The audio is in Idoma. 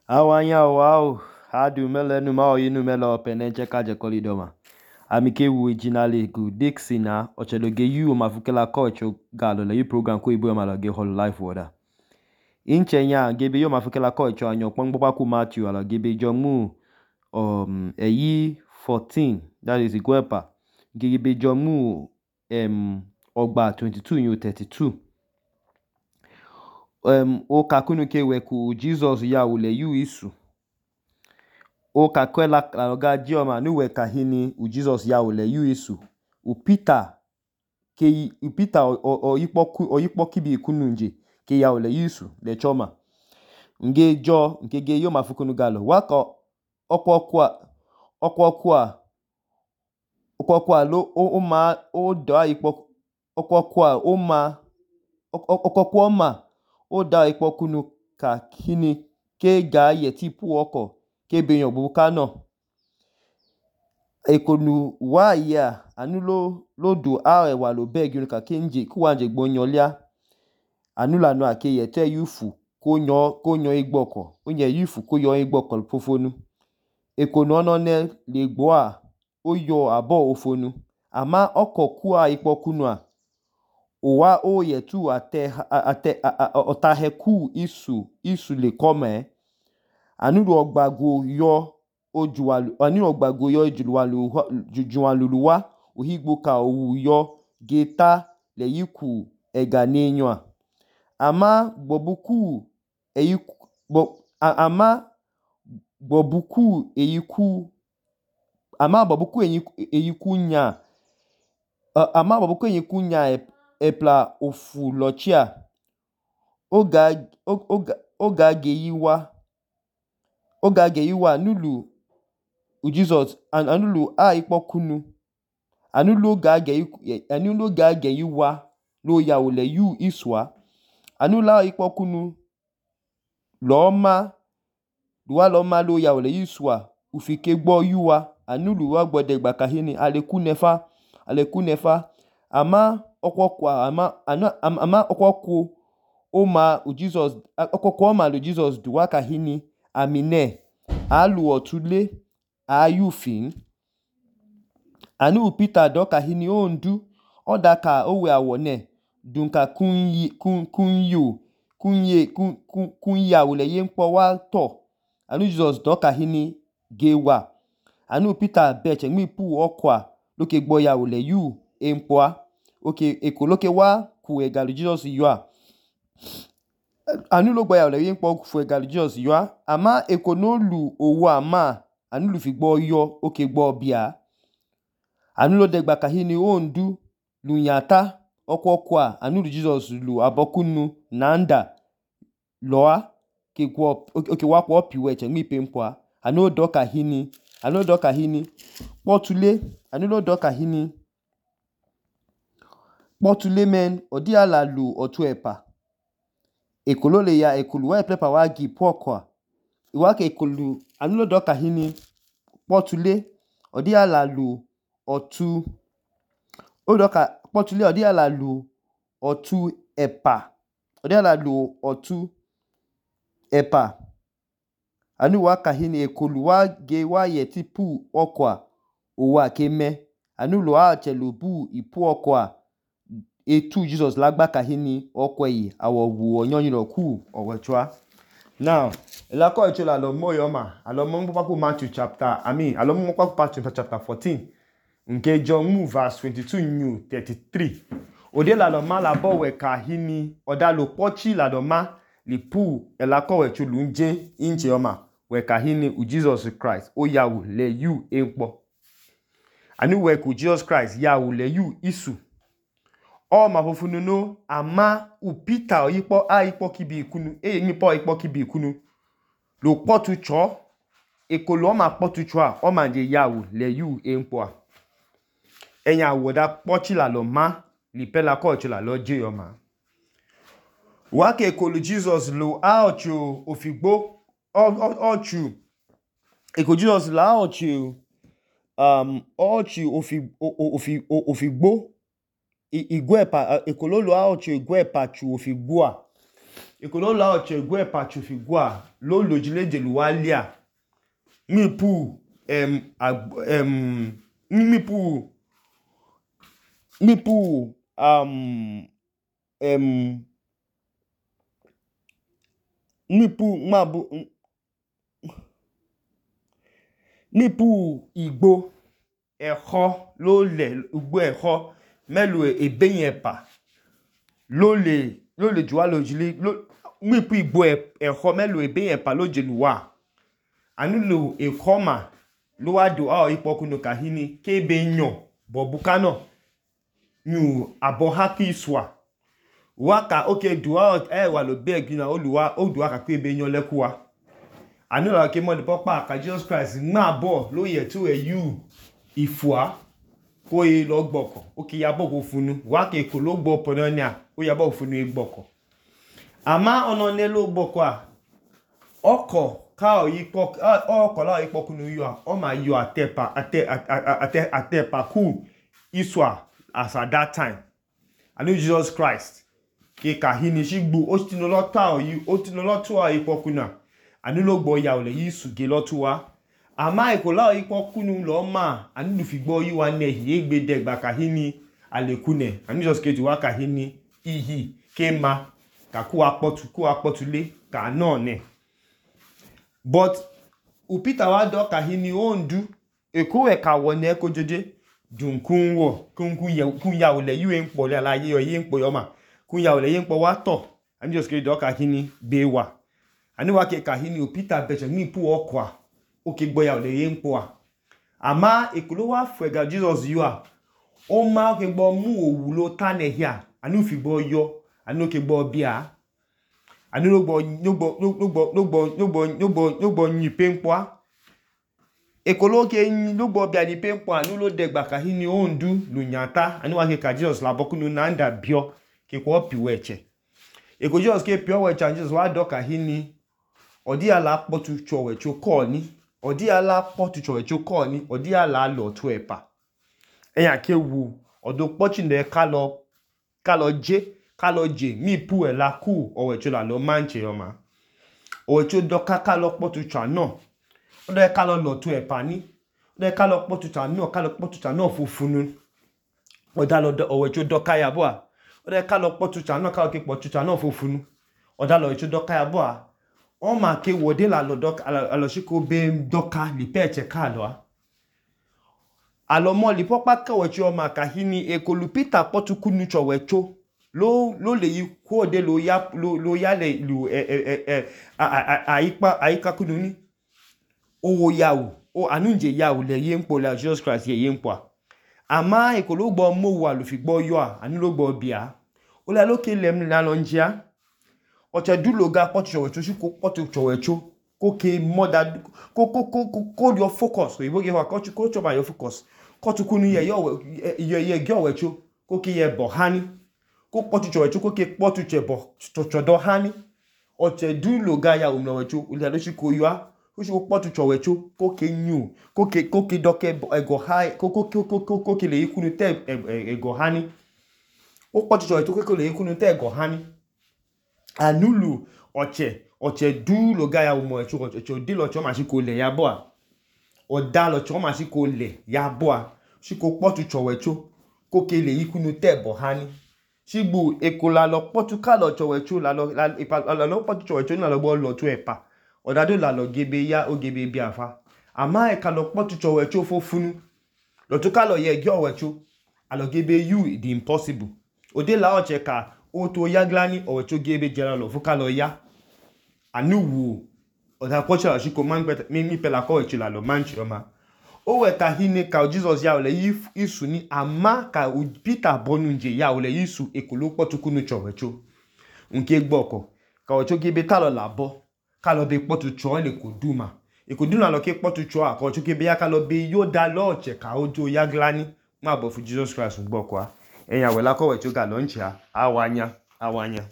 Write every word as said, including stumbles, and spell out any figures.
Awanya wow, hadu mele nu ma oyi nu mele opene cheka je kolidoma. Amike wu ejinale gu Dixie na ocheloge yu mafukela coach galo le yu program ko ibu ma ge hol life water. Inche nya gebe yo mafukela coach anyo pangbopa ku Matthew ala gebe jomu um eyi fourteen, that is Igwepa. Gebe jomu um ogba twenty-two yu thirty-two. Um, o kakunu ke weku Jesus ya ule yu isu. O kakwela loga jioma nu weka hini u Jesus ya ule yu isu. U Peter ke u Peter o, o, o yipoku o yipoki bi kunu nje ke ya ule yu isu le choma. Nge jo nke ge yo mafukunu galo. Waka okwa kwa okwa kwa okwa kwa lo o, o ma o da yipoku okwa kwa o ma okwa kwa ma o da ikpokunu ka kini ke ga yeti pu oko ke beyan buka no ekonu wa ya anu lo lo do a ewa lo beg yun ka kenje ku wanje gbonyo lia anu la no ake yete yufu ko nyo ko nyo igboko onye yufu ko yo igboko fofonu ekonu ono ne le gbo a o yo abo ofonu ama oko ku a ikpokunu a owa o yetu ate ate otahe ku isu isu le kome anu ogbago yo ojuwalu anu ogbago yo ojuwalu jujuwaluluwa ohigbo ka owu yo geta le yiku ega nenyo ama gbobuku eyiku bo ama gbobuku eyiku ama gbobuku eyiku eyiku nya ama gbobuku eyiku nya epla ofu lochia oga oga oga geyiwa oga geyiwa nulu u Jesus anulu a ikpokunu anulu ga geyiku anulu ga geyiwa lo ya ole yu iswa anula ikpokunu lo ma luwa lo ma lo ya ole iswa ufike gbo yuwa anulu wa gbode gba kahini aleku nefa aleku nefa ama okwokwa ama ama, ama okwokwo o ma u Jesus okwokwo ma lu Jesus duwa kahini amine alu otule ayufin anu Peter do kahini ondu odaka owe awone dunka kunyi kun kunyu kunye kun kun kunya ule yempo wa to anu Jesus do kahini gewa anu Peter beche mi pu okwa loke gbo ya ule yu empoa oke ekoloke wa ku egalu Jesus yua anu lo gbo ya ule yempo ku egalu Jesus yua ama ekonolu owo ama anu lu fi gbo yo oke gbo bia anu lo degba kahini ondu lunyata okwokwa anu lu Jesus lu abokunu nanda loa ke gwo oke wa kwa piwe che mi pempoa anu do kahini anu do kahini potule anu lo do kahini potule men odi ala lu otu epa ekolo le ya ekolu wa plepa wa gi pokwa iwa ke ekolu anu lo do kahini potule odi ala lu otu odoka potule odi ala lu otu epa odi ala lu otu epa anu wa kahini ekolu wa ge wa yeti pu okwa owa keme anu lo a chelu bu ipu okwa etu Jesus lagba kahini okweyi awo wu onyoyin ro ku owechwa. Now elako echola lo moyoma alomo mpopa ku Matthew chapter I mean alomo mpopa ku Matthew chapter fourteen nke John mu verse twenty-two new thirty-three ode la lo ma la bo we kahini oda lo pochi la do ma li pu elako echolu nje inche oma we kahini u Jesus Christ o yawu le yu empo anu we ku Jesus Christ yawu le yu isu o ma fofunu no ama u Peter oyipo a ipo kibi ikunu e mi po ipo kibi ikunu lo potu cho ekolo ma potu cho a o ma je yawu le yu empo a enya woda pochi la lo ma li pela ko cho la lo je yo ma wa ke ekolo Jesus lo a ocho ofigbo ochu ekolo Jesus la ochu um ochu ofi ofi ofigbo igwepa ekololo a ocho igwepa chu ofigbo a ekolo la oche gwe pachufi gwa lo lojile jeluwalia mipu em em mipu mipu um em mipu mabu mipu igbo ẹ̀họ́ ló lẹ̀ ugbo ẹ̀họ́ mẹ́lu ebeyepa ló lè ló lè juwa lojile mipu igbo ẹ̀họ́ mẹ́lu ebeyepa ló jeluwa anulo ekoma ló wá do a ipokunu kahini kebe nyo bobukano nyu abo haki iswa waka oke duwa e wa lo beg na oluwa o duwa ka kebe nyo lekuwa anulo ke mo de popa ka Jesus Christ ma bo lo ye tu e you ifua ko e lo gboko oke ya bo ko funu wa ke ko lo gbo pononia o ya bo funu e gboko ama ono ne lo gboko a oko ka o yipo oko la yipo kunu yo o ma yo atepa ate ate atepa ku iswa as at that time anu Jesus Christ ke kahini shigbu o tinu lo ta o yi o tinu lo tu a yipo kuna anu lo gbo ya ole yisu ge lo tu wa ama ikola yipo kunu lo ma anu lu fi gbo yi wa ne ye gbe de gba kahini alekune anu Jesus ke wa kahini ihi ke ma ka ku apotu ku apotule ka no ne but upita wa do kahini ondu eko e ka wone ko jeje dunkun wo kunkun ye kun ya ole yu npo le alaye yo ye npo yo ma kun ya ole ye npo wa to anu Jesus ke do kahini bewa ani wa ke kahini upita beche mi pu okwa o ke gbo ya ole ye npo a ama ekolo wa fega Jesus yu a o ma ke gbo mu owu lo tane hia anu fi gbo yo anu ke gbo bia anu lo gbo lo gbo lo gbo lo gbo lo gbo lo gbo lo gbo yin penpo a ekolo ke yin lo gbo bia ni penpo anu lo de gba kahini ondu lunyata anu wa ke ka Jesus la bokunu nanda bio ke ko piweche eko Jesus ke piweche Jesus wa do kahini odi ala potu chowecho ko ni odi ala potu chowecho ko ni odi ala lo tu epa eyan ke wu odo pochi ne ka lo ka lo je ka lo je mi pu e la ku owecho la lo manche yo ma owecho do ka ka lo potu cha no odo e ka lo lo tu epa ni odo e ka lo potu cha no ka lo potu cha no fufunu oda lo owecho do ka ya bo a odo e ka lo potu cha no ka lo ke potu cha no fufunu oda lo owecho do ka ya bo a o ma ke wode la lo doka alo shiko be doka li peche ka lo a alo mo li popa ka wecho o ma kahini ekolu Peter potuku nu chowecho lo lo le yi ko de lo ya lo lo ya le lu e e e aipa aika kunu ni owo yawo o anunje yawo le ye npo la Jesus Christ ye ye npo ama ekolo gbo mo wa lo fi gbo yo a anu lo gbo bia o la lo ke lem la lo njia oche dulo ga potu chowecho shi ko potu chowecho ko ke moda ko ko ko ko your focus we ge wa ko ko choba your focus ko tu kunu ye yo ye ye ge owecho ko ke ye bo hani ko potu chowecho ko ke potu chebo chodo hani oche dulo ga ya umno wecho ule lo shi ko yo a ko shi ko potu chowecho ko ke nyu ko ke ko ke doke ego hai ko ko ko ko ke le ikunu te ego hani ko potu chowecho ko ke le ikunu te ego hani anulu oche oche du lo ga ya umo echo oche di lo cho ma shi ko le ya bo a oda lo cho ma shi ko le ya bo a shi ko potu chowecho ko ke le ikunu te bo hani shigbu ekola lo potu ka lo chowecho la lo la ipa la lo potu chowecho na lo gbo lo tu epa oda do la lo gebe ya o gebe bi afa ama e ka lo potu chowecho fofunu lo tu ka lo ye ge owecho alo gebe you the impossible ode la oche ka o to yaglani owecho gebe jera lo fuka lo ya anu wu oda pocha shi ko man mi mi pela ko echi la lo manchi oma o we ka hine ka Jesus ya ole isu ni ama ka Peter bonu nje ya ole isu ekolo potuku nu chowecho nke gboko ka ocho gebe ta lo labo ka lo be potu cho le ko duma e ko duna lo ke potu cho a ka ocho gebe ya ka lo be yo da lo oche ka ojo yaglani ma bo fu Jesus Christ gboko a eyan we la ko wecho ga lo nche a awanya awanya